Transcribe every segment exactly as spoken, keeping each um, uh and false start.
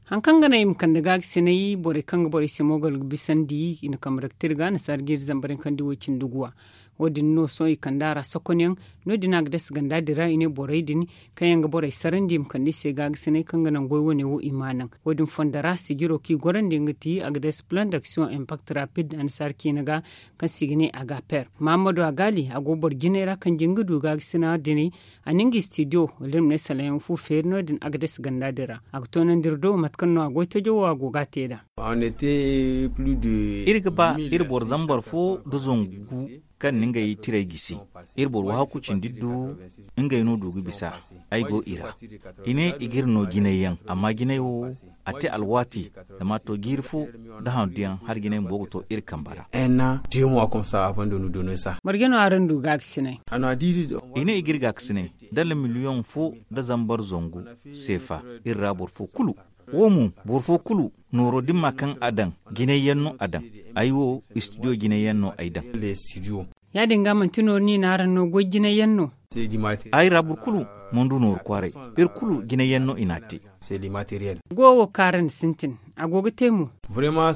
Hari kaŋ ga naŋ i ma kande gaakasinay borey kaŋ ga borey se moogal ga bisandi i na kambe daga te iri ga annasaara jiiri zambar yaŋ kaŋ di wo- cindi guwa. Wo- din no sohõ i kande a ra sokonyaŋ. No- din a ga dasa ganda din ra i ne borey din kaŋ yaŋ ga borey sarandi i ma kande i se gaakasinay kaŋ ga naŋ goy wane wo i ma a naŋ. Wo- din fondo ra sijiro kaŋ i gorandi nga ti a ga dasa plan d'action impact rapid annasaara ciina ga, kaŋ se i ga ne a ga per mahammadu a gaali a go boro jinay ra kaŋ jin ga du gaakasina din. A na nga studio wala iri ma ne salayaŋ fu feeri no- din a ga dasa ganda din ra. A ga toonandi iri do mate kaŋ no a goy tajo wo a go ga a te nd'a. Iri ga ba iri boro zambar fo nda zangu gu kaŋ na ngey tirey gisi. Iri boro wahakku cindi du ngey no du ga bisa. Ay go i ra. I ne i ga iri no jinay yaŋ amma jinay wo a te alwaati. Zama a to jiiri fo nda handu yaŋ hala jinay bumbo ga to iri kambe ra. Marje no araŋ du gaakasinay? I ne i ga iri gaakasinay dala miliyoŋ fo nda zambar zangu seefa. Iri ra boro fo kulu wo mo boro fo kulu nooro dimma kaŋ a daŋ jinay yaŋ no a daŋ. Ay wo studio jinay yaŋ no ay daŋ. Ya- din ga manti nooro no i na araŋ no goy jinay yaŋ no? Ay ra boro kulu mana du nooru kwaaray. Iri kulu jinay yaŋ no i n'a te. Goyo wo kaŋ araŋ na sintin a go ga te mo?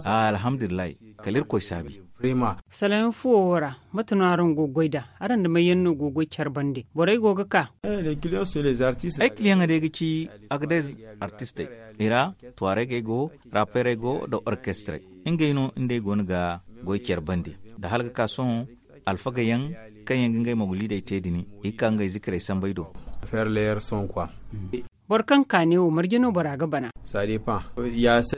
Alhamdulillahi. Kala irkoy saabi. Salayaŋ fuwo wo ra mate no araŋ go ga goy nd'a? Araŋ nda may yaŋ no go ga goy care bande borey go ga ka? Ay kiliyaŋey day ga ci agadez artistey, i ra tuwaarey go, raperey go nda orkestrey. Ngey no nda ay go no ga goy care bande nda hala ga ka sohõ alfaga yaŋ kaŋ yaŋ ga ngey mogoliidey te din i ga ka ngey zikirey sambey do. Boro kaŋ kaane wo marje no bora ga bana?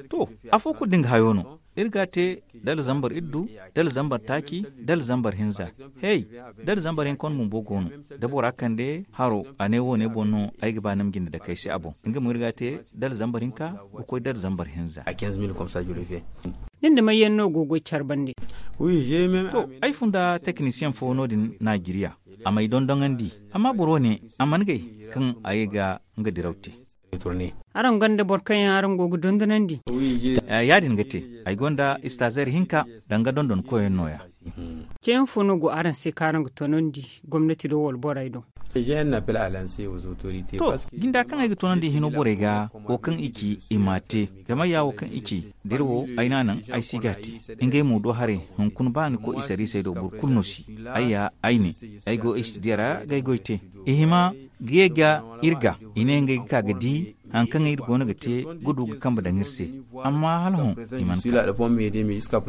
To, afo kulu da nga hayo no. Iri ga a te dala zambar iddu, dala zambar taaci, dala zambar hinza. Hey, dala zambar hinka wane bumbo go no. Da bora kande haro a ne wo- ne boŋ no ay ga ba ni ma jinde dake ay se a boŋ. Nga mo iri ga a te dala zambar hinka ga koy dala zambar hinza. Nin da may yaŋ no go ga goy care bande? To, ay fun nda tekinisiyeŋ fo no- din najeriya. A m'ay dondoŋandi. Amma boro wane a mana gay kaŋ a ye ga nga diraw te. Araŋ gonda boro kaŋ yaŋ araŋ go ga dondonandi? Ya- din ga te. Ay gonda istaazeer hinka danga dondonkoyyaŋ no- ya. Ceeyaŋ fo no go araŋ se kaŋ araŋ ga tonandi gomnati do wala borey do? To, jinda kaŋ ay ga tonandi hino borey ga wo kaŋ i ci i m'a te. Zama ya wo kaŋ i ci da iri wo ay n'a naŋ ay si ga a te. Ngey mo do haray hunkuna ba ni koy i sariisey do boro kulu no si. Ay ya ay ne ay go istidiya ra ga ay goy te. I hima ga ye ga iri ga i ne ngey ga ka ga di hari kaŋ iri go no ga te ga du ga kambe daŋ iri se. Amma hala hõ i mana ka.